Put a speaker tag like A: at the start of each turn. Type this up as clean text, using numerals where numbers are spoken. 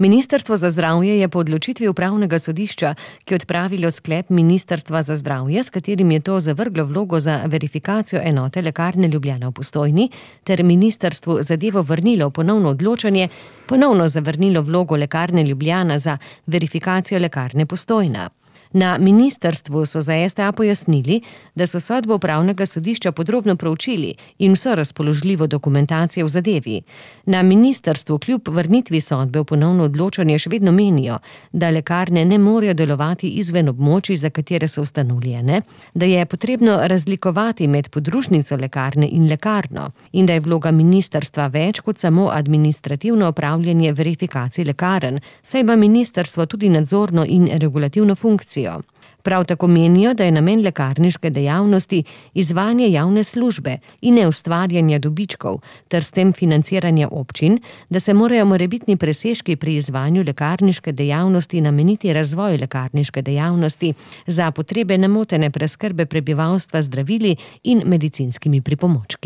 A: Ministrstvo za zdravje je po odločitvi upravnega sodišča, ki je odpravilo sklep Ministrstva za zdravje, s katerim je to zavrglo vlogo za verifikacijo enote Lekarne Ljubljana v Postojni, ter ministrstvu zadevo vrnilo v ponovno odločanje, ponovno zavrnilo vlogo Lekarne Ljubljana za verifikacijo Lekarne Postojna. Na ministrstvu so za STA pojasnili, da so sodbo upravnega sodišča podrobno proučili in vso razpoložljivo dokumentacijo v zadevi. Na ministrstvu kljub vrnitvi sodbe v ponovno odločanje še vedno menijo, da lekarne ne morejo delovati izven območij, za katere so ustanovljene, da je potrebno razlikovati med podružnico lekarne in lekarno in da je vloga ministrstva več kot samo administrativno opravljanje verifikacij lekarn, saj ima ministrstvo tudi nadzorno in regulativno funkcijo. Prav tako menijo, da je namen lekarniške dejavnosti izvajanje javne službe in ne ustvarjanja dobičkov ter s tem financiranja občin, da se morajo morebitni presežki pri izvajanju lekarniške dejavnosti nameniti razvoju lekarniške dejavnosti za potrebe nemotene preskrbe prebivalstva z zdravili in medicinskimi pripomočki.